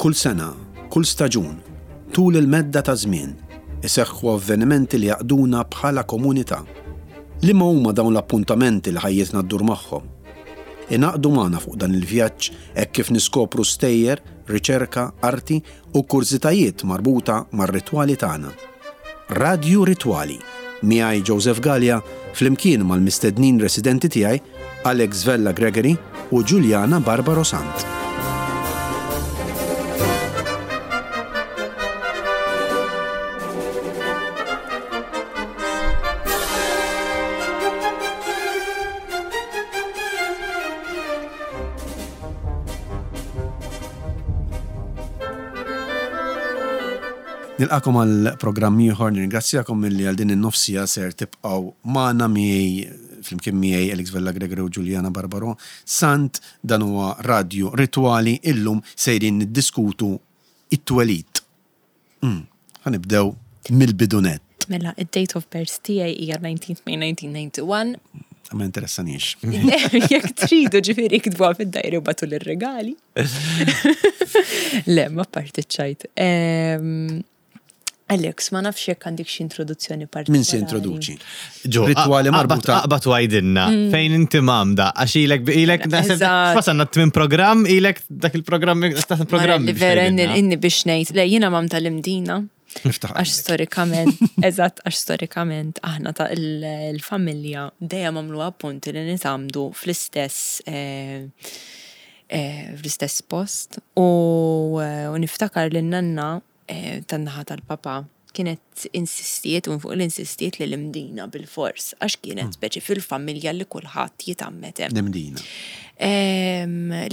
Kull sena, kull staġun, tul il-medda ta' żmien, iseħħu avvenimenti li jgħaqqduna bħala komunità. Liema huma dawn l-appuntamenti li ħajjitna ddur magħhom? Ingħaqdu magħna fuq dan il-vjaġġ hekk kif niskopru stejjer, riċerka, arti u kurżitajiet marbuta mar-ritwali tagħna. Radju Ritwali, miegħi Joseph Galea flimkien mal-mistednin residenti tiegħi Alex Vella Gregory u Juliana Barbaro Sant. Nilqakom għal programm ieħor, nirringrazzjakom milli għal din in-nofsija ser tibqgħu magħna miegħi flimkien miegħi Alex Vella Gregory u Juliana Barbaro Sant, dan huwa Radju Ritwali, illum sejrin niddiskutu it-twelid. Ħa nibdew mill-bidu nett. Mela, id-date of birth tiegħi hija 19th May 1991. Ma interessanix. Jekk tridu ġifieri iktbuha fid-dajri u bagħtu lir-regali. Le, ma parti ċajt. Alex, ma nafx jekk għandek xi introduzzjoni partikolari. Min se introduċi? Ġo, Ritwali marbuta. Aqbad u għajdilna, fejn inti mamda, għax ilek, ilek, wasanna t-tmin program, ilek dak il-programm, dak il-programm. Li vera inni biex ngħid, le jiena mamda l-imdina. Għax storikament, eżatt, għax storikament aħna ta' il-familja dejjem għamlu appunti li nitgħammdu fl-istess eh, eh, fl-istess post u eh, niftakar li nanna tan-naħa tal-papa kienet insistiet u fuq l-insistiet li l-imdina bil-fors għax kienet hmm. speċi fil-familja li kulħadd jitgħammed hemm. L-imdina.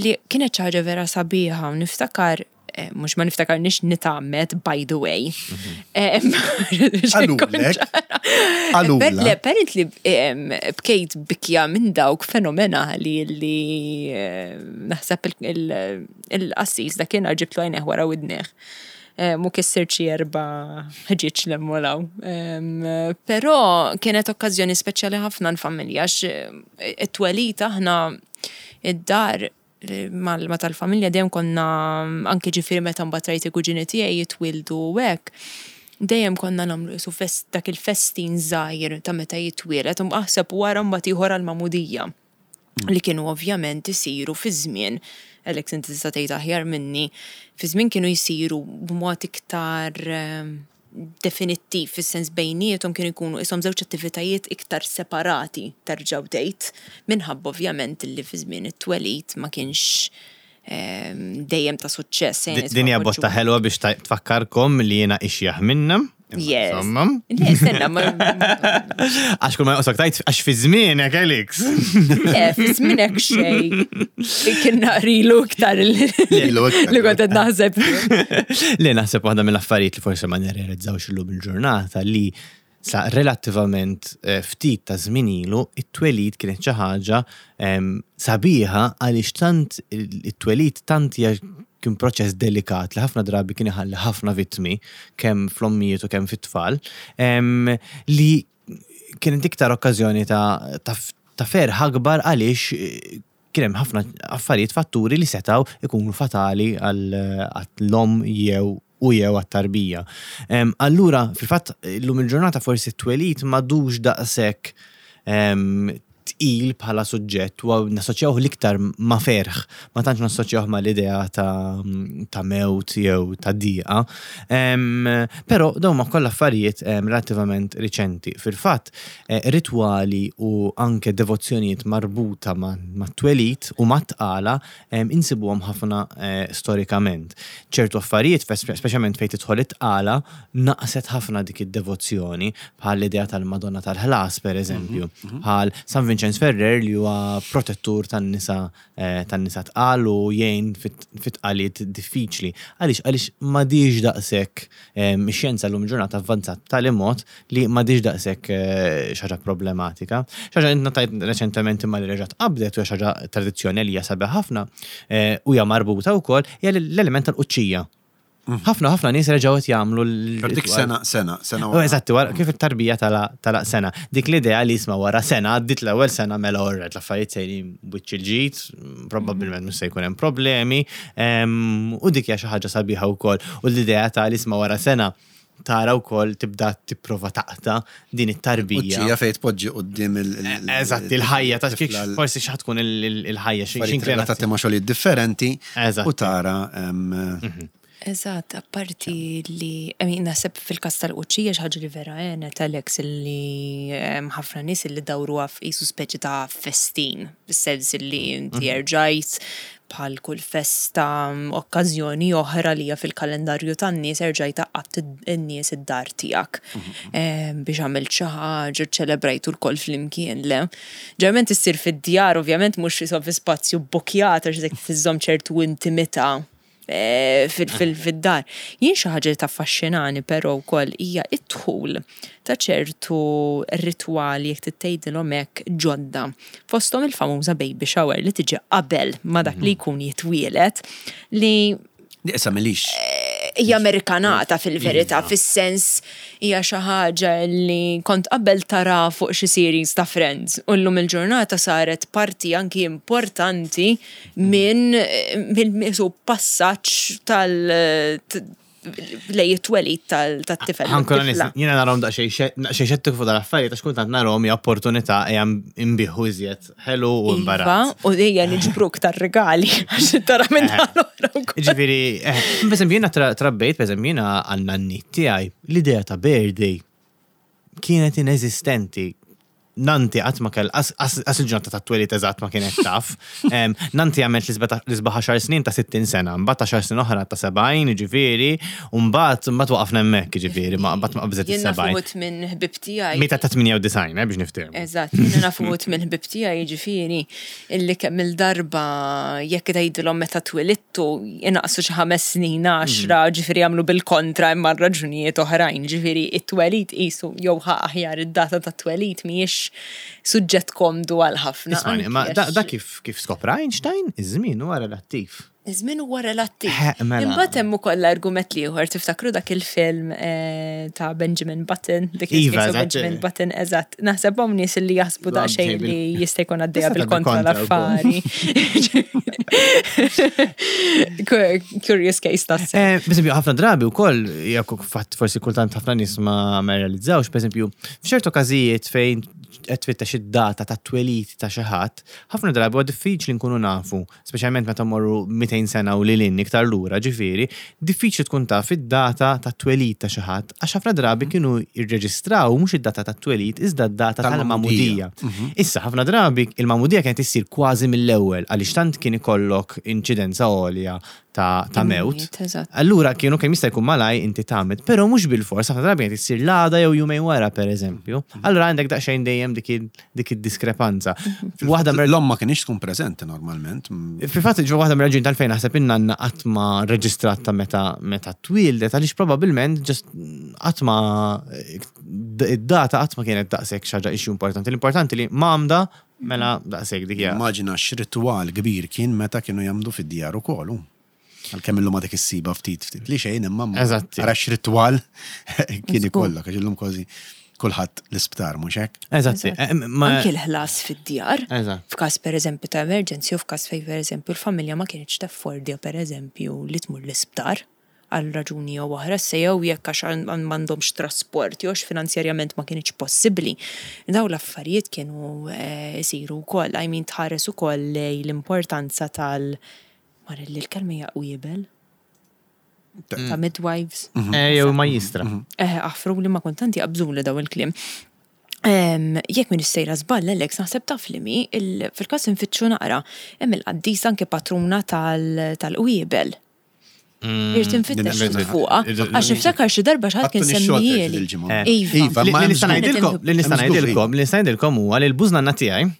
Li kienet xi ħaġa vera sabiħa u niftakar eh, mux ma niftakar nix nitgħammed by the way. Mhm. Għalulek. Le, apparently bkejt bikja minn dawk fenomenali li eh, naħseb il-qassis dakinhar ġibtlu għajnejh wara widnejh. Mu kissirt xi erba' ħġieġ 'l hemm u 'l hawn. Però kienet okkażjoni speċjali ħafna l-familja għax it-twelid aħna id-dar ma' tal-familja dejjem konna anke ġifieri meta mbagħad rajt il-kuġini tiegħi jitwieldu u hekk, dejjem konna nagħmlu qisu dak il-festin żgħir ta' meta jitwieled u aħseb wara mbagħad ieħor għall-magħmudija. li kienu ovvjament isiru fi żmien, Alex inti tista' tgħid aħjar minni, fi żmien kienu jsiru b'mod iktar ehm, definittiv, fis-sens bejniethom kienu jkunu ishom żewġ attivitajiet iktar separati terġgħu tgħid, minħabba ovvjament li fi żmien it-twelid ma kienx ehm, dejjem ta' suċċess. Din hija botta ħelwa biex tfakkarkom li jiena ixjaħ minna. Yes. Insomma. Le, stenna, ma. Għax kull ma joqsok tajt, għax fi żmienek, Alex. Le, fi żmienek xej. Kien naqrilu iktar li kont qed naħseb. Le, naħseb waħda mill-affarijiet li forsi ma nirrealizzawx illum il-ġurnata li sa relattivament eh, ftit ta' żmien ilu, it-twelid kienet xi ħaġa ehm, sabiħa għaliex tant it-twelid tant hija kien proċess delikat li ħafna drabi kien iħalli ħafna vittmi kemm fl-ommijiet u kemm fit-tfal, ehm, li kienet iktar okkażjoni ta', ta, ta ferħ akbar għaliex eh, kien hemm ħafna affarijiet fatturi li setgħu ikunu fatali għall-omm jew u jew għat-tarbija. Allura, fil-fatt, illum il-ġurnata forsi t-twelid m'għadux daqshekk tqil bħala suġġett u nassoċjawh l-iktar ma' ferħ, ma tantx nassoċjawh mal-idea ta', ta mewt jew ta' diqa. Però dawn ma kollha affarijiet relattivament riċenti. Fil-fatt, eh, ritwali u anke devozzjonijiet marbuta mat-twelid u mat-tqala insibuhom ħafna eh, storikament. Ċertu affarijiet, speċjalment fejn tidħol it-tqala, naqset ħafna dik id-devozzjoni, bħal l-idea tal-Madonna tal-ħlas, per eżempju, mhm, mhm. bħal San Vincenz Ferrer li huwa protettur tan-nisa eh, tan-nisa tqal u jgħin fit-tqaliet diffiċli. Għaliex għaliex m'għadix daqshekk Ix-xjenza llum il-ġurnata avvanzat b'tali mod li m'għadhiex daqshekk eh, xi ħaġa problematika. Xi ħaġa li notajt reċentement imma li reġgħet qabdet u hija xi ħaġa tradizzjoni li hija sabiħ ħafna eh, u hija marbuta wkoll hija l-element tal-quċċija. Ħafna ħafna nies reġgħu qed jagħmlu l Dik sena, sena, sena. Oh, eżatti, wara kif it-tarbija tala sena. Dik l-idea li jisma' wara sena, għaddit l-ewwel sena mela orret l-affarijiet sejrin wiċċ il-ġid, probabbilment mhux se jkun hemm problemi, u dik hija xi ħaġa sabiħa wkoll. U l-idea ta' li isma' wara sena tara wkoll tibda tipprova taqta' din it-tarbija. Uċċija fejn tpoġġi quddiem il- Eżatt, il-ħajja ta' kif forsi xi tkun il-ħajja xi relatati ma' xogħlijiet differenti u tara Eżatt, apparti li, I mean, naħseb fil-każ tal-quċċija xi ħaġa li vera għenet Alex li ħafna nies li dawruha f'isu speċi ta' festin, fis-sens li inti erġajt bħal kull festa, okkażjoni oħra li hija fil-kalendarju tan-nies erġajt għaqqadt in-nies id-dar tiegħek biex għamilt xi ħaġa, ċċelebrajtu lkoll flimkien, le. Ġeneralment issir fid-djar, ovvjament mhux fi spazju bbukjat għax dik tiżżomm ċertu intimità fid-dar. Jien xi ħaġa li taffaxxinani però wkoll hija d-dħul ta' ċertu ritwali jekk trid tgħidilhom hekk ġodda. Fosthom il-famuża baby shower li tiġi qabel ma dak li jkun jitwieled li Di issa m'ilix. Hija Amerikanata fil-verità, fis-sens hija xi ħaġa li kont qabel tara fuq xi series ta' Friends u llum il-ġurnata saret parti anki importanti minn minn passaġġ tal lej it-twelid tat-tifel. Ħankun onest, jiena narahom daqsxejn xettiku fuq dal-affarijiet għax kultant narahom hija opportunità ejja nbiħu iżjed ħelu u imbarazz. Iva, u ejja niġbruk tar-rigali għax tara minn eh. l-oħra wkoll. Ġifieri, eh, pereżempju jiena trabbejt, pereżempju jiena għan-nanniet tiegħi l-idea ta' birthday kienet ineżistenti. Nanti qatt ma kell, as il-ġurnata ta' twelid eżatt ma kienet taf. Nanti għamlet l-isbaħ 10 snin ta' 60 sena, mbagħad 10 snin oħra ta' 70, jiġifieri, u mbagħad mbagħad waqafna hemmhekk, jiġifieri, ma mbagħad ma qabżet Jien naf is-70. uħud minn ħbieb tiegħi. Mietet ta' 98, eh, biex niftehmu. Eżatt, jiena naf uħud minn ħbieb tiegħi, jiġifieri, illi kemm-il darba jekk tgħidilhom meta twilidtu inaqqsu xi ħames snin, għaxra, ġifieri jagħmlu bil-kontra imma għal raġunijiet oħrajn. Ġifieri it-twelid qisu jew ħa aħjar id-data tat-twelid mhijiex suġġett komdu għal ħafna. Ismagħni, imma da kif kif skopra Einstein, iż-żmien huwa relattiv. Iż-żmien huwa relattiv. Mela. Imbagħad hemm ukoll l-argument l-ieħor, tiftakru dak il-film eh, ta' Benjamin Button, dik Iva, eżatt. Benjamin Button, eżatt. Naħseb hawn nies li jaħsbu daqsxejn li jista' jkun għaddejja Tista' bil-kontra bil-kontra l-affari. Curious case tas. Eh, per esempio, ħafna drabi wkoll, jekk fatt forsi kultant ħafna nies ma ma realizzawx, per esempio, f'ċertu każijiet fejn qed tfittex id-data ta' twelid ta' xi ħadd, ħafna drabi huwa diffiċli nkunu nafu speċjalment meta mmorru 200 sena u lil hinn iktar lura, ġifieri, diffiċli tkun taf id-data tat-twelid ta' xi ħadd għax ħafna drabi kienu jirreġistraw mhux id-data tat-twelid iżda d-data tal-magħmudija. Issa, ħafna drabi il-magħmudija kienet issir kważi mill-ewwel għaliex tant kien ikollok inċidenza għolja ta' ta' mewt. Allura kienu kemm jista' jkun malaj inti tagħmel, però mhux bilfors ħafna drabi qed issir l-għada jew jumejn wara pereżempju. Allura għandek daqsxejn dejjem dik id-diskrepanza. Waħda l-omm ma kienx tkun preżenti normalment. Fil-fatt ġo waħda mir-raġuni tal-fejn naħseb in-nanna qatt ma reġistrat ta' meta meta twieldet għaliex probabbilment ġast qatt ma id-data qatt ma kienet daqshekk xi ħaġa issue importanti. L-importanti li m'għamda Mela, daqshekk dik hija. Immaġina x'ritwal kbir kien meta kienu jgħammdu fid-djar ukoll, hu. Għalkemm illum għadek issibha ftit ftit li xejn imma Eżatt. Ara x'ritwal kien ikollok għax illum kważi kulħadd l-isptar mhux hekk? Eżatt. Eh, Anki l-ħlas fid-djar. Eżatt. F'każ pereżempju ta' emerġenzi u f'każ fejn pereżempju l-familja ma kinitx taffordja pereżempju li tmur l-isptar. għal raġuni jew oħra, issa jew jekk għax m'għandhomx trasport jew għax finanzjarjament ma kinitx possibbli. Dawn l-affarijiet kienu jsiru wkoll, I mean tħares ukoll lejn l-importanza tal Marelli l-kelma hija qwiebel? Ta' midwives. Eh, jew majjistra. Eh, aħfruli ma kont tant jaqbżuli daw il-kliem. Jekk m'iniex sejra żball, Alex, naħseb taf li mi, fil-każ infittxu naqra, hemm il-qaddisa anke patruna tal-qwiebel. Irrid infittex fuqha. Għax niftakar xi darba xi ħadd kien semmijieli. Iva. Iva, Li nista' ngħidilkom, li nista' ngħidilkom, li nista' ngħidilkom huwa li l-bużnanna tiegħi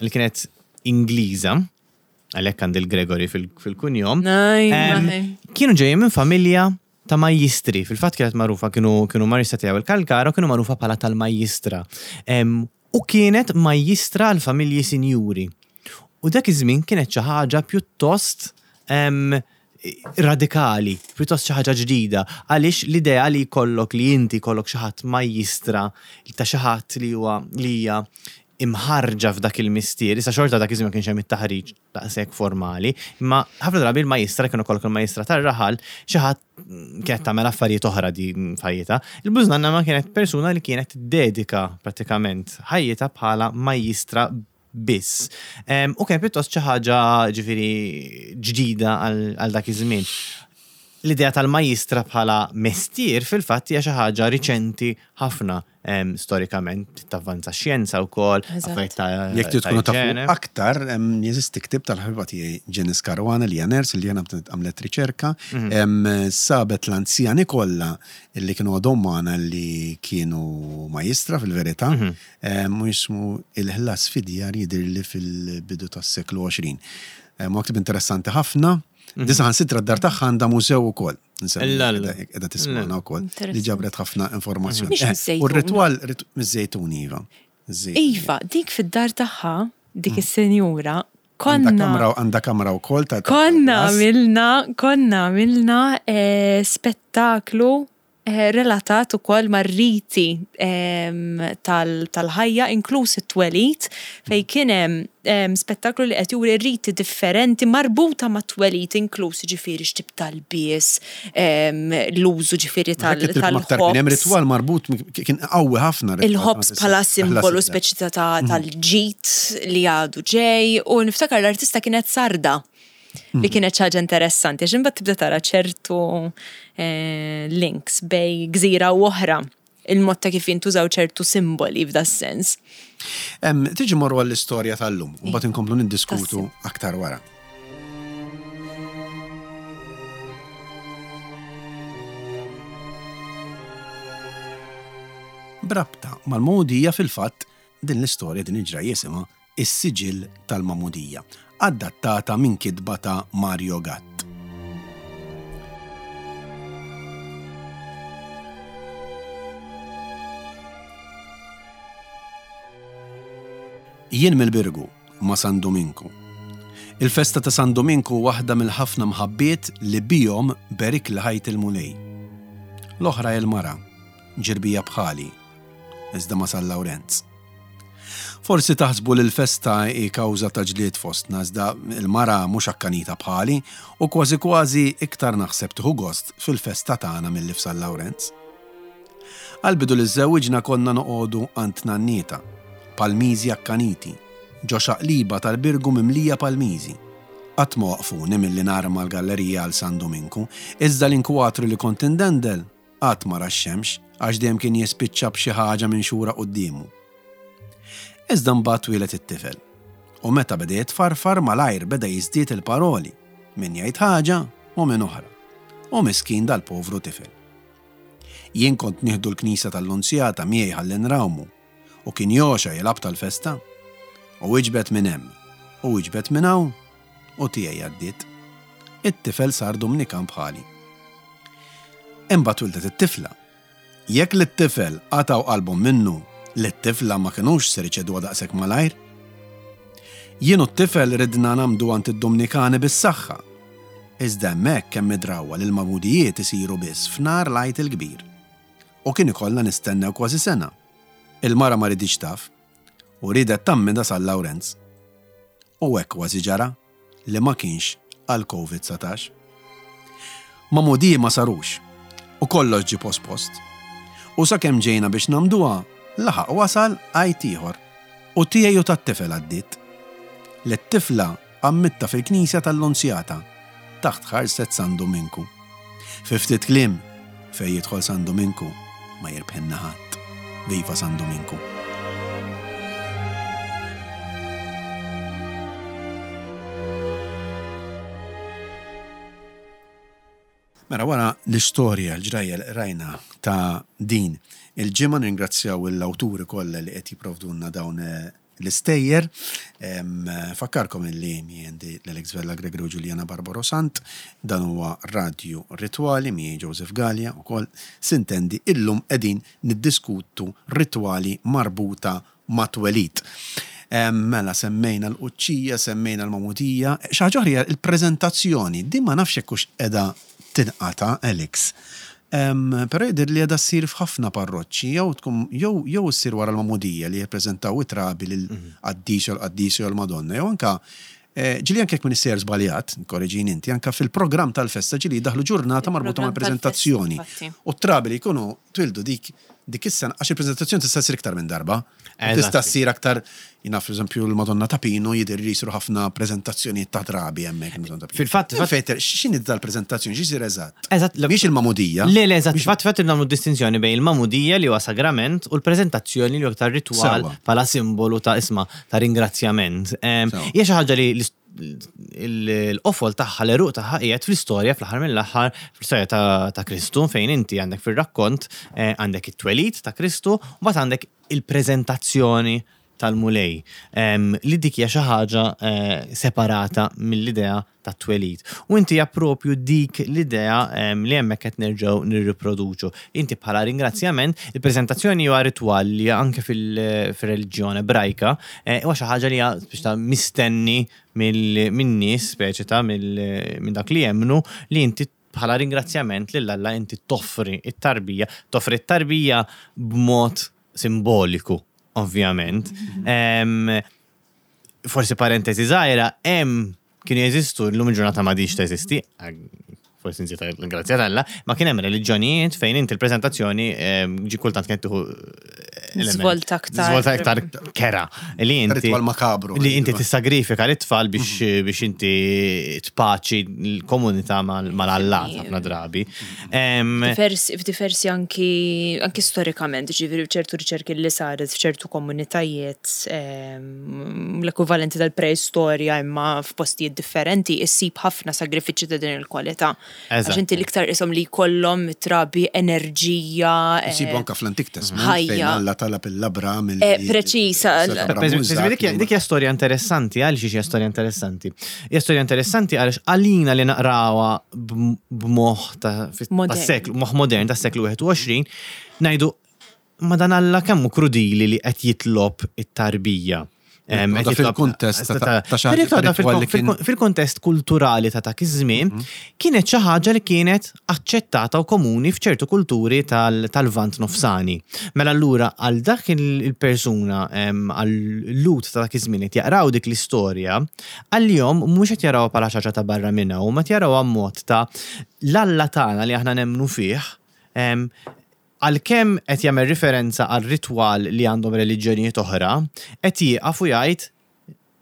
li kienet Ingliża, għalhekk għandi l-Gregory fil-kunjom, kienu ġejjin minn familja ta' majjistri. Fil-fatt kienet magħrufa kienu kienu marista tiegħu il-Kalkara u kienu magħrufa bħala tal-majjistra. U kienet majjistra għal familji sinjuri. U dak iż-żmien kienet xi ħaġa pjuttost. radikali, pjuttost xi ħaġa ġdida, għaliex l-idea li jkollok li inti jkollok xi ħadd majjistra ta' xi ħadd li huwa li hija imħarrġa f'dak il-mistier, issa xorta dak iż-żmien ma kienx hemm it-taħriġ daqshekk formali, imma ħafna drabi l-majjistra kienu kollok il-majjistra tar-raħal xi ħadd kienet tagħmel affarijiet oħra di f'ħajjitha. Il-bużnanna ma kienet persuna li kienet tiddedika prattikament ħajjitha bħala majjistra biss. U kien pjuttost xi ħaġa ġifieri ġdida għal dak iż-żmien. L-idea tal-majjistra bħala mestier fil-fatt hija xi ħaġa riċenti ħafna storikament tavvanza x-xjenza wkoll, affarijiet ta' Jekk trid tkunu tafu aktar, jeżisti ktieb tal-ħabiba tiegħi Janice Caruana li hija nurse li jiena għamlet riċerka, mhm. sabet l-anzjani kollha li kienu għadhom magħna li kienu majjistra fil-verità, mhm. U jismu Il-ħlas fid-djar jidhirli fil-bidu tas-seklu 20. Huwa ktieb interessanti ħafna. Mhm. Di saħansitra d-dar tagħha għandha mużew ukoll. Qiegħda tismagħna wkoll li ġabret ħafna informazzjoni. Eh, u r-ritwal miż-żejtun iva. Iva, dik fid-dar tagħha, dik mm. is-senjura, konna. Għandha kamra wkoll ta' Konna għamilna, konna għamilna eh, spettaklu relatat ukoll mar-riti tal-ħajja inkluż it-twelid fejn kien hemm spettaklu li qed juri riti differenti marbuta mat-twelid inkluż jiġifieri x'tip ta' lbies, l-użu ġifieri tal-ħobż. Kien hemm ritwal marbut kien qawwi ħafna. Il-ħobż bħala simbolu speċi ta' tal-ġid li għadu ġej u niftakar l-artista kienet sarda. Li kienet xi ħaġa interessanti, għax imbagħad tibda tara ċertu eh, links bej gżira u oħra il-mod ta' kif jintużaw ċertu simboli f'da sens. Tiġi morru għall-istorja tal-lum, u mbagħad inkomplu niddiskutu aktar wara. Brabta mal-mogħdija fil-fatt din l-istorja din il-ġrajja jisimha Is-Siġill tal-Magħmudija, adattata minn kitba ta' Mario Gatt. Jien mill-Birgu, ma' San Duminku. Il-festa ta' San Duminku waħda mill-ħafna mħabbiet li bihom berikli ħajti l-Mulej. L-oħra hi l-mara, ġirbija bħali, iżda ma' San Lawrenz. Forsi taħsbu li l-festa hi kawża ta' ġlied fostna iżda l-mara mhux akkanita bħali u kważi kważi iktar naħseb tieħu gost fil-festa tagħna milli f'San Lawrenz. Għall-bidu li żżewwiġna konna noqogħdu għand nannietha, palmiżi akkaniti, ġo xaqliba tal-Birgu mimlija palmiżi. Qatt ma waqqfuni milli narma l-gallerija għal San Duminku, iżda l-inkwatru li kont indendel Qatt ma ra x-xemx għax dejjem kien jispiċċa b'xi ħaġa minxura quddiemu. Iżda mbagħad twieled it-tifel. U meta beda jitfarfar malajr beda jiżdied il-paroli, min jgħid ħaġa u min oħra. U miskin dal-povru tifel. Jien kont nieħdu l-knisja tal-Lunzjata miegħi ħalli nrawmu u kien jogħxa jilgħab tal-festa. U iġbed minn hemm u iġbed minn hawn u tiegħi għaddiet. It-tifel sar Dumnikan bħali. Imbagħad wildet it-tifla. Jekk lit-tifel qatgħu qalbhom minnu, lit-tifla ma kinux ser iċeduha daqshekk malajr. Jien u t-tifel ridna nagħmdu għand id-Dumnikani bis-saħħa. Iżda hemmhekk hemm id-drawwa li l-magħmudijiet isiru biss f'nhar l-Għid il-Kbir. U kien ikollna nistennew kważi sena. Il-mara ma riditx taf. U riedet tgħammidha San Lawrenz. U hekk kważi ġara, li ma kienx għall-Covid 19. Magħmudiji ma sarux, u kollox ġie pospost. U sakemm ġejna biex nagħmduha, laħaq wasal Għid ieħor. U tiegħi u tat-tifel għaddiet. Lit-tifla għammidtha fil-knisja tal-Lunzjata, taħt ħarset San Duminku. Fi ftit kliem, fejn jidħol San Duminku ma jirbħilna ħadd. Viva San Duminku! Mela wara l-istorja, l-ġrajja li qrajna ta' din il-ġimgħa nirringrazzjaw l-awturi kollha li qed jipprovdulna dawn l-istejjer. Nfakkarkom illi miegħi l-Alex Vella Gregory u Juliana Barbaro Sant, dan huwa Radju Ritwali miegħi Joseph Galea wkoll. Sintendi illum qegħdin niddiskutu ritwali marbuta mat-twelid. Mela semmejna l-quċċija, semmejna l-magħmudija. Xi ħaġa oħra hija l-preżentazzjoni. Din ma nafx jekk hux qiegħda tinqata', Alex. Però jidher li qiegħda ssir f'ħafna parroċċi jew tkun jew jew issir wara l-magħmudija li jippreżentaw it-trabi lill-qaddis jew l-qaddisa jew l-Madonna jew anke ġieli anke jekk m'iniex sejjer żbaljat, korreġini inti, anke fil-programm tal-festa ġieli jdaħħlu ġurnata marbuta mal-preżentazzjoni. U t-trabi li jkunu twildu dik dik is-sena, għax il-preżentazzjoni tista' ssir iktar minn darba. Tista' ssir aktar, jien naf eżempju l-Madonna ta' Pinu jidher li jsiru ħafna preżentazzjonijiet ta' trabi hemmhekk il-Madonna ta' Pinu. Fil-fatt, Fejn x'inhi dal-preżentazzjoni, x'isir eżatt? Eżatt. Mhix il-magħmudija. Le, le, eżatt. Fatt, fatt nagħmlu distinzjoni bejn il-magħmudija li huwa sagrament u l-preżentazzjoni li huwa aktar ritwal bħala simbolu ta' isma' ta' ringrazzjament. Hija xi ħaġa li l-qofol tagħha, l-għeruq tagħha qiegħed fl-istorja fl-aħħar mill-aħħar, fl-istorja ta' Kristu fejn inti għandek fir-rakkont għandek it-twelid ta' Kristu u mbagħad għandek il-preżentazzjoni tal-Mulej li dik hija xi ħaġa separata mill-idea tat-twelid. U inti hija propju dik l-idea li hemmhekk qed nerġgħu nirriproduċu. Inti bħala ringrazzjament, il-preżentazzjoni huwa ritwal li anke fil-reliġjon Ebrajka huwa xi ħaġa li hija biex ta' mistenni min-nies, speċi ta' minn dak li jemmnu li inti bħala ringrazzjament lil Alla inti toffri t-tarbija, toffri t-tarbija b'mod simboliku, ovvjament. Forsi parentesi żgħira, hemm kienu jeżistu, llum il-ġurnata m'għadix teżisti, forsi nżid l-grazzja t'Alla, ma kien hemm reliġjonijiet fejn inti l-preżentazzjoni ġi kultant kienet tieħu Żvolta aktar. Żvolta aktar kera. Li inti. Ritwal makabru. Li inti tissagrifika l-tfal biex mhm. biex inti tpaċi l-komunità mal-allat ħafna drabi. F'diversi anki anki storikament, ġifieri ċertu riċerki li saret f'ċertu komunitajiet l-ekwivalenti tal-preistorja imma f'postijiet differenti issib ħafna sagrifiċċji ta' din il-kwalità. Għax inti l-iktar ishom li jkollhom trabi enerġija. Isibu anke fl-Antik Testament fejn Alla talab lil Abram Preċiż. Dik hija storja interessanti, għaliex hija storja interessanti? Hija storja interessanti għaliex għalina li naqrawha b'moħħ ta' seklu, moħħ modern tas-seklu 21, ngħidu Ma dan Alla kemm hu krudili li qed jitlob it-tarbija. Fil-kuntest ta' Fil-kuntest kulturali ta' dak iż-żmien, mhm. kienet xi ħaġa li kienet aċċettata u komuni f'ċertu kulturi tal-Lvant Nofsani. Mela allura għal dak il-persuna għal-lut ta' dak iż-żmien qed jaqraw dik l-istorja, għalihom mhux qed jarawha bħala xi ħaġa ta' barra minn hawn, ma jarawha mod ta' l-Alla tagħna li aħna nemmnu fih Għalkemm qed jagħmel riferenza għal ritwal li għandhom reliġjonijiet oħra, qed jieqaf u jgħid,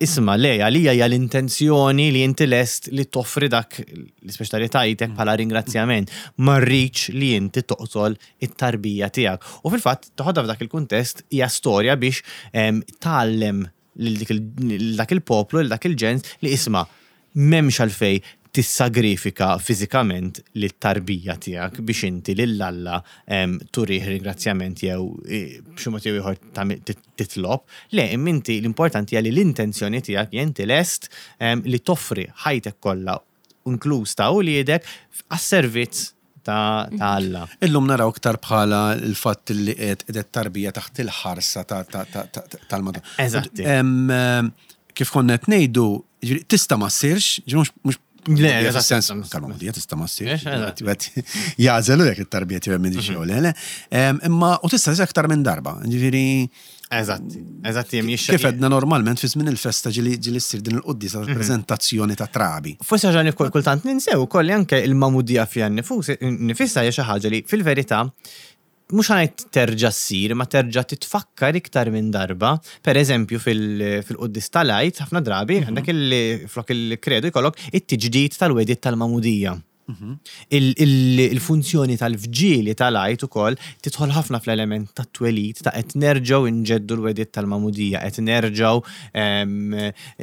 Isma', le, għalija hija l-intenzjoni li inti lest li toffri dak l-ispeċi ta' li tajtek bħala ringrazzjament. Ma rridx li inti toqtol it-tarbija tiegħek. U fil-fatt, toħodha f'dak il-kuntest hija storja biex tgħallem lil dak il-poplu, lil dak il-ġens li isma' m'hemmx għalfejn tissagrifika fiżikament lit-tarbija tiegħek biex inti lil Alla turih ringrazzjament jew b'xi mod jew ieħor titlob. Le, imma inti l-importanti hija li l-intenzjoni tiegħek hija inti lest li toffri ħajtek kollha inkluż ta' uliedek għas-servizz ta' Alla. Illum naraw iktar bħala l-fatt li qed qiegħed tarbija taħt il-ħarsa tal-Madonna. Eżatt. Kif konna qed ngħidu, tista' ma ssirx, mhux Le, sens tal-magħmudija tista' ma ssirx. Jażelu jekk it-tarbija tiegħu minn xew le, le. Imma u tista' ssir aktar minn darba. Ġifieri Eżatti, eżatti jem jixxa. Kif edna normalment fi żmien il-festa ġili ġili ssir din il-quddisa mhm. tal-preżentazzjoni ta' trabi. Forsi ħaġa li kultant ninsew ukoll li anke il-magħmudija fiha nifisha hija xi ħaġa li fil-verità mhux ħanajt terġa' ssir, ma terġa' titfakkar iktar minn darba. Per eżempju fil-quddis tal-Għid ħafna drabi mhm. għandek flok il-kredu jkollok it-tiġdid tal-wedid tal-magħmudija. Il-funzjoni tal-vġili tal-Għid ukoll tidħol ħafna fl-element tat-twelid ta' qed nerġgħu nġeddu l-wegħdiet tal-magħmudija, qed nerġgħu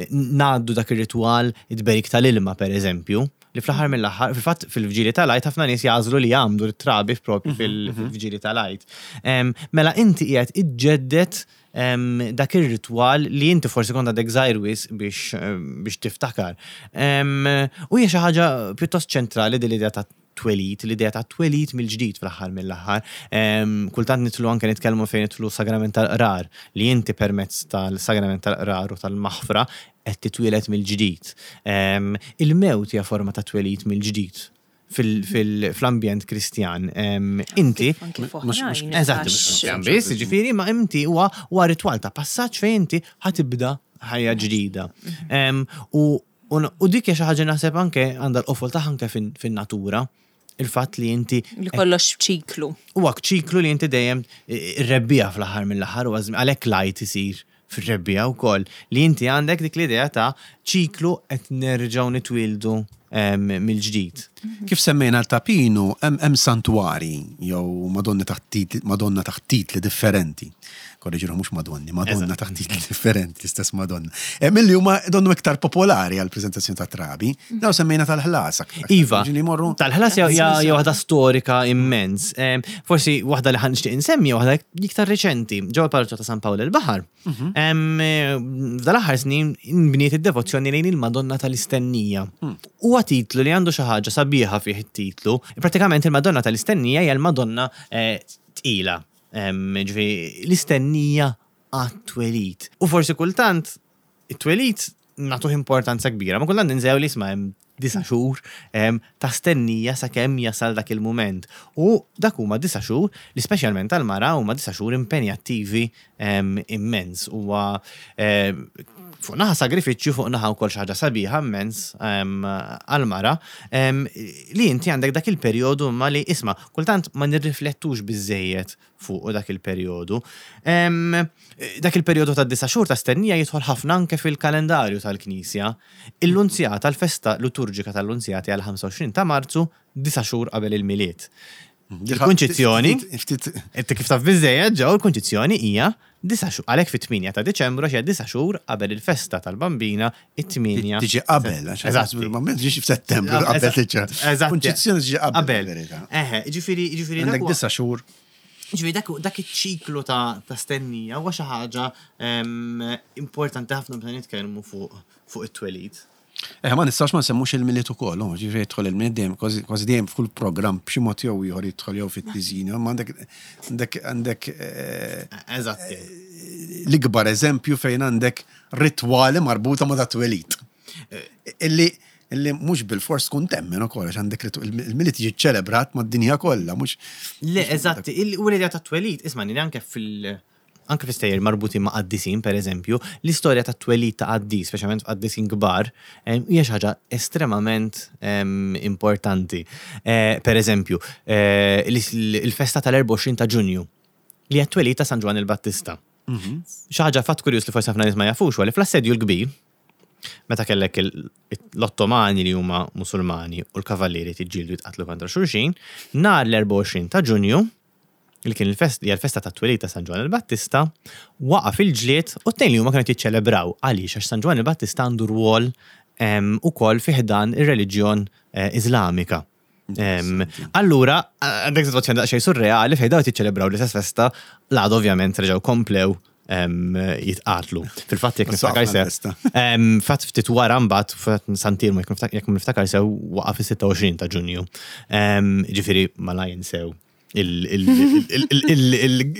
ngħaddu dak ir-ritwal it-tberik tal-ilma pereżempju, li fl-aħħar mill-aħħar, fil-fatt fil-vġili tal-Għid ħafna nies jagħżlu li jgħammdu t-trabi propju fil-vġili tal-Għid. Mela inti qiegħed iġġedded dak ir-ritwal li inti forsi kont għadek żgħir wisq biex biex tiftakar. U hija xi ħaġa pjuttost ċentrali din l-idea ta' twelid, l-idea ta' twelid mill-ġdid fl-aħħar mill-aħħar. Kultant nidħlu anke nitkellmu fejn nidħlu sagrament tal-qrar, li inti permezz tal-sagrament tal-qrar u tal-maħfra qed titwieled mill-ġdid. Il-mewt hija forma ta' twelid mill-ġdid fl-ambjent Kristjan. Inti. Eżatt, mhux biss, ġifieri, ma inti huwa ritwal ta' passaġġ fejn inti ħa tibda ħajja ġdida. U dik hija xi ħaġa naħseb anke għandha l-qofol tagħha anke fin-natura. Il-fatt li inti. Li kollox ċiklu. Huwa ċiklu li inti dejjem ir-rebbiegħa fl-aħħar mill-aħħar u għalhekk l-Għid isir fir-rebbiegħa wkoll. Li inti għandek dik l-idea ta' ċiklu qed nerġgħu nitwieldu mill-ġdid. Kif semmejna l-Tapinu, hemm santwari jew Madonni taħt Madonna taħt titli differenti. Korreġi ruħi mhux Madonni, Madonna taħt titli differenti, l-istess Madonna. Eh, milli huma donnu iktar popolari għal preżentazzjoni ta' trabi. Daw semmejna tal-ħlas. Iva, tal-ħlas hija waħda storika immens. Forsi waħda li ħan nixtieq insemmi waħda iktar reċenti, ġewwa l-Parroċċa ta' San Pawl il-Baħar. Mhm. F'dal-aħħar snin inbniet id-devozzjoni lejn il-Madonna tal-Istennija. Hmm. Huwa titlu li għandu xi ħaġa sabiħa fih it-titlu. Pratikament il-Madonna tal-Istennija hija l-Madonna eh, tqila. Ġifieri l-istennija għat-twelid. U forsi kultant it-twelid nagħtuh importanza kbira, ma kultant ninsew li isma' hemm disa' xhur ta' stennija sakemm jasal dak il-mument. U dak huma disa' xhur li speċjalment għall-mara huma disa' xhur impenjattivi immens. Huwa fuq naħa sagrifiċċju, fuq naħa wkoll xi ħaġa sabiħa immens għall-mara li inti għandek dak il-perjodu imma li isma' kultant ma nirriflettux biżżejjed fuqu dak il-perjodu. Dak il-perjodu ta' disa' xhur ta' stennija jidħol ħafna anke fil-kalendarju tal-Knisja. Il-Lunzjata, l-festa liturġika tal-Lunzjata hija l-25 ta' Marzu, disa' xhur qabel il-Milied. Il-Kunċizzjoni, inti kif taf biżżejjed ġew, il-Kunċizzjoni hija disa' xhur, għalhekk fit-8 ta' Diċembru għax hija disa' xhur qabel il-festa tal-Bambina, it-8. Tiġi qabel, għax Eżatt. Ma tiġix f'Settembru qabel tiġi. Eżatt. Kunċizzjoni tiġi qabel. Eħe, ġifieri, ġifieri. Għandek disa' xhur. Ġifieri dak dak iċ-ċiklu ta' stennija huwa xi ħaġa importanti ħafna meta nitkellmu fuq fuq it-twelid. Eh, ma nistax ma nsemmux il-Milied ukoll, oh, ġifieri jidħol il-Milied dejjem kważi dejjem f'kull programm b'xi mod jew ieħor jidħol jew fit-tiżjin, ma għandek għandek għandek eh, Eżatt. l-ikbar eżempju fejn għandek ritwali marbuta ma' dat-twelid. Illi illi mhux bil-fors tkun temmen ukoll għax għandek il-Milied jiġi ċelebrat mad-dinja kollha, mhux. Le, eżatt, u l-idea tat-twelid, isma' anke fil- anke fi stejjer marbutin ma' qaddisin, per eżempju, l-istorja tat-twelid ta' qaddis, speċjalment f'qaddisin kbar, hija xi ħaġa estremament importanti. Eh, per eżempju, eh, il-festa tal-24 ta' Ġunju, li hija t-twelid ta' San Ġwann il-Battista. Mhm. Xi ħaġa fatt kurjuż li forsi ħafna nies ma jafux huwa li fl-Assedju l-Kbir, meta kellek l-Ottomani li huma Musulmani u l-Kavallieri tiġġieldu jitqatlu kontra xulxin, nhar l-24 ta' Ġunju, li kien il-festa hija l-festa tat-twelid ta' San Ġwann il-Battista, waqaf il-ġlied u t-tnejn li huma kienu qed jiċċelebraw. Għaliex? Għax San Ġwann il-Battista għandu rwol ukoll fi ħdan ir-reliġjon Iżlamika. Allura, għandek sitwazzjoni daqsxejn surreali fejn dawn qed jiċċelebraw l-istess festa, l-għada ovvjament reġgħu komplew jitqatlu. Fil-fatt jekk niftakar sew. Fatt ftit wara mbagħad Santirmu jekk niftakar sew waqa' fis-26 ta' Ġunju. Ġifieri ma la jinsew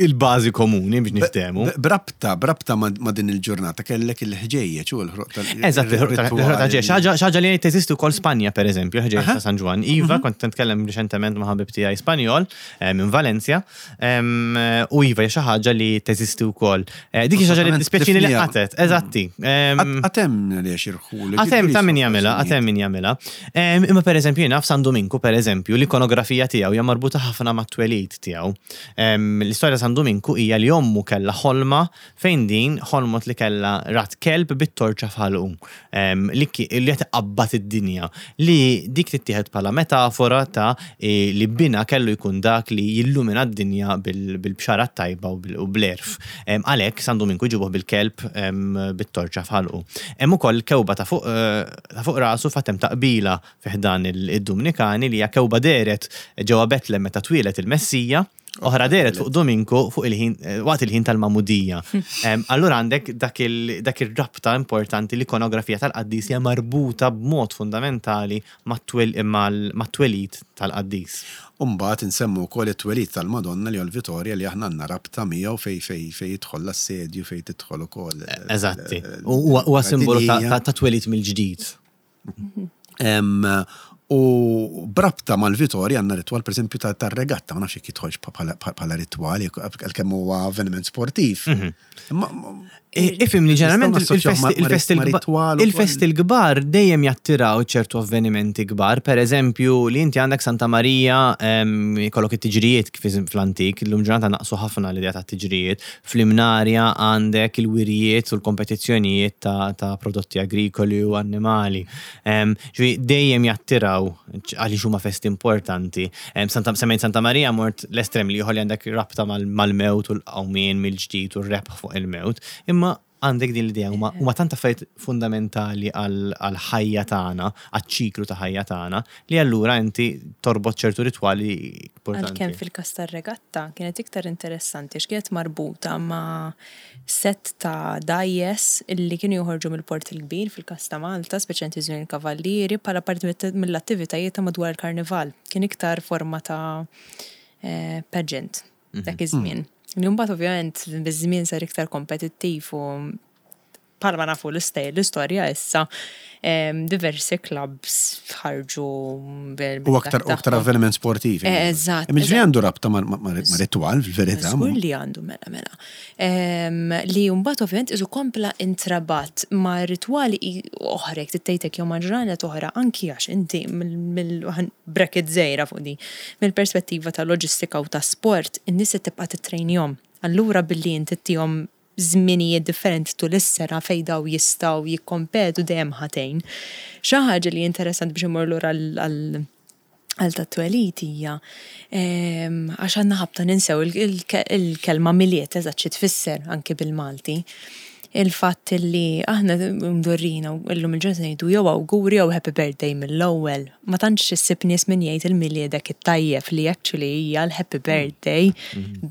il-bażi komuni biex niftehmu. Brabta, brabta ma' din il-ġurnata kellek il-ħġejjeġ u l-ħruq tal Eżatt, il-ħruq tal-ħġejjeġ. Xaġa li teżisti wkoll Spanja pereżempju, il-ħġejjeġ ta' San Ġwann. Iva, mhm. kont nitkellem riċentement ma' ħabib tiegħi Spanjol eh, minn Valencia u iva hija xi ħaġa li teżisti wkoll. Eh, dik xi ħaġa li dispjaċini li qatet, eżatti. Qatem li xirħu. Qatem ta' min jagħmilha, qatem min jagħmilha. Imma pereżempju jiena f'San Duminku pereżempju l-ikonografija tiegħu hija marbuta ħafna mat-twelid tiegħu. L-istorja ta' San Duminku hija li ommu kellha ħolma fejn din ħolmot li kellha rat kelb bit-torċa f'ħalqu li qed iqabbad id-dinja li dik tittieħed bħala metafora ta' li binha kellu jkun dak li jillumina d-dinja bil-bxara t-tajba u bl-għerf. Għalhekk San Duminku jġibuh bil-kelb bit-torċa f'ħalqu. Hemm ukoll kewba ta' fuq Ta' fuq rasu fatt hemm taqbila fi ħdan id-Dumnikani li hija kewba dehret ġewwa Betlem meta twieled il-Messija. Oħra dehret fuq Dominku fuq il-ħin eh, waqt il-ħin tal-magħmudija. Allura għandek dak ir-rabta importanti l-ikonografija tal-qaddis hija marbuta b'mod fundamentali mat-twelid tal-qaddis. U mbagħad insemmu wkoll it-twelid tal-Madonna li huwa l-Vitorja li aħna għandna rabta miegħu fejn fejn fejn jidħol l-assedju fejn tidħol ukoll. Eżatti. Huwa simbolu ta' twelid mill-ġdid. U b'rabta mal-Vitorja għandna ritwal pereżempju tar-regatta, ma nafx jekk jidħolx bħala ritwal, għalkemm huwa avveniment sportiv. Mhm. Ifhimni ġeneralment il-festi l-kbar dejjem jattiraw ċertu avvenimenti kbar, per eżempju li inti għandek Santa Marija jkollok it-tiġrijiet kif fl-antik, illum ġurnata naqsu ħafna l-idea ta' tiġrijiet, fl-Imnarja għandek il-wirjiet u l-kompetizzjonijiet ta' prodotti agrikoli u annimali. Ġifieri dejjem jattiraw għaliex huma festi importanti. Santa semmejt Santa Marija mort l-estrem li li għandek rabta mal-mewt u l-qawmien mill-ġdid u r-rebħ fuq il-mewt. Imma għandek din l-idea huma huma tant affarijiet fundamentali għall-ħajja tagħna, għaċ-ċiklu ta' ħajja tagħna, li allura inti torbot ċertu ritwali importanti. Għalkemm fil-każ tar-regatta kienet iktar interessanti għax kienet marbuta ma' sett ta' dgħajjes li kienu joħorġu mill-Port il-Kbir fil-każ ta' Malta, speċjalment fi żmien il-Kavallieri, bħala parti mill-attivitajiet ta' madwar il-Karnival. Kien iktar forma ta' pageant dak iż-żmien. Li mbagħad ovvjament biż-żmien sar iktar kompetittiv u bħalma nafu l-istorja issa diversi clubs ħarġu U aktar aktar avveniment sportiv. Eh, eżatt. Imma għandu rabta ma' ritwal fil-verità. Żgur li għandu mela mela. Li mbagħad ovvjament isu kompla intrabat ma' ritwali oħra jekk tittejtek jew ma' ġranet oħra anki għax inti mill bracket żgħira fuq di mill-perspettiva ta' loġistika u ta' sport in-nies se tibqa' tittrejnihom. Allura billi inti ttihom żminijiet differenti tul is-sena fejn dawn jistgħu jikkompetu dejjem ħa tgħin. Xi ħaġa li interessanti biex immur lura għal għal tat-twelid hija għax għandna ħabta ninsew il-kelma Milied eżatt xi tfisser anki bil-Malti. Il-fatt li aħna mdorrina u llum il-ġurnata ngħidu jew awguri jew happy birthday mill-ewwel. Ma tantx issib nies min jgħid il-Miliedek it-tajjeb li actually hija l-happy birthday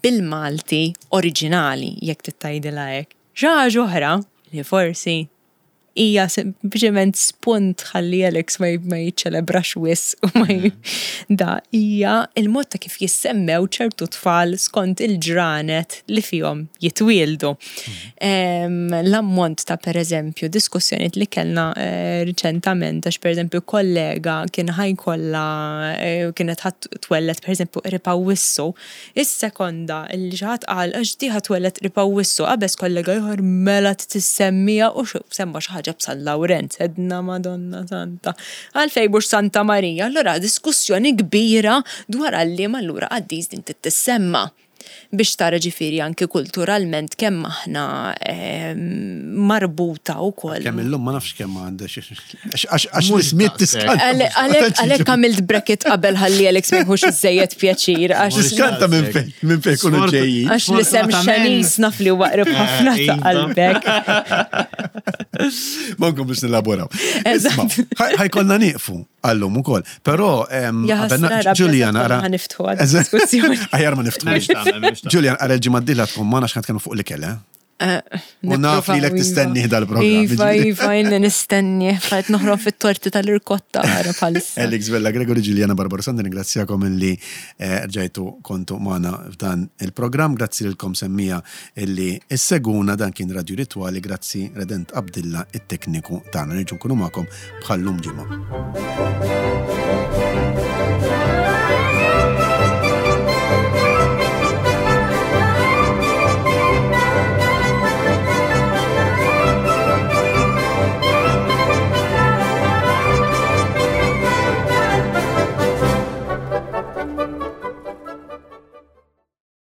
bil-Malti oriġinali jekk trid tgħidilha hekk. Xi ħaġa oħra li forsi hija sempliċement spunt ħalli Alex ma jiċċelebrax wisq u ma da hija il-mod ta' kif jissemmew ċertu tfal skont il-ġranet li fihom jitwieldu. L-ammont ta' pereżempju diskussjonijiet li kellna eh, riċentament għax pereżempju kollega kien ħajkollha eh, kienet ħadd twellet pereżempju qrib Awwissu Is-sekonda li xi ħadd qal għax di ħa twelled qrib Awwissu, qabeż kollega ieħor mela trid issemmieha u semma xi ħaġa b'San Lawrenz, għedna Madonna Santa. Għalfejn mhux Santa Marija? Allura diskussjoni kbira dwar għal liema allura qaddis din trid tissemma. Biex tara ġifieri anki kulturalment kemm aħna marbuta wkoll. Kemm illum ma nafx kemm għandha Għax l-ismiet tiskanta. Għalek għamilt bracket qabel ħalli Alex ma jħux iżejjed pjaċir. Tiskanta minn fejn, minn fejn kunu ġejjin. Għax l-isem xanis naf li huwa qrib ħafna ta' iva. qalbek. Ma nkompux nilaboraw. Ħajkonna nieqfu għallum ukoll. Però Julian ara. Ħaniftħu għad-diskussjoni. Aħjar ma niftħu. Julian ara l-ġimgħa d-dieħla tkun ma nafx tkellmu fuq l-ikel, eh? Eh, u naf li l iva. iva, dal-programm. Iva, iva, jinn nistenni, fajt noħrob fit-torti tal-irkotta għara palissa. Alex Vella Gregory, Giuliana Barbarossa, ringrazzjakom illi eh, rġajtu kontu maħna f'dan il-programm. Grazzi lilkom semmija illi s-seguna dan kien Radio Rituali, grazzi Redent Abdilla, it-tekniku tagħna. Nerġu nkunu magħkom bħallum ġimgħa.